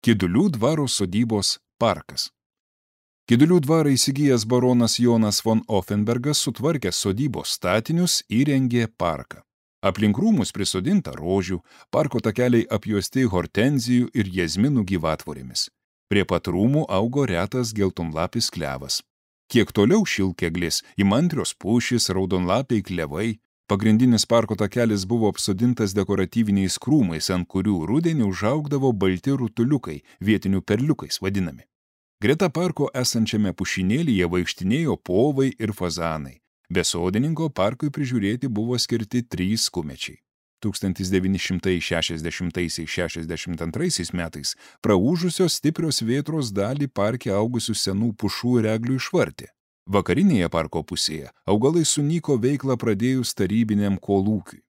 Kidulių dvaro sodybos parkas. Kidulių dvarą įsigijęs baronas Jonas von Offenbergas sutvarkė sodybos statinius, įrengė parką. Aplink rūmus prisodinta rožių, parko takeliai apjuosti hortenzijų ir jazminų gyvatvorėmis. Prie pat rūmų augo retas geltonlapis klevas. Kiek toliau šilkeglis, įmantrios pušys, raudonlapiai klevai. Pagrindinis parko takelis buvo apsodintas dekoratyviniais krūmais, ant kurių rudenį užaugdavo balti rutuliukai, vietinių perliukais vadinami. Greta parko esančiame pušynėlyje vaikštinėjo povai ir fazanai. Be sodininko parkui prižiūrėti buvo skirti 3 kumečiai. 1960–62 metais praūžusios stiprios vėtros dalį parke augusių senų pušų ir eglių išvartė. Vakarinėje parko pusėje augalai sunyko veiklą pradėjus tarybiniam kolūkiui.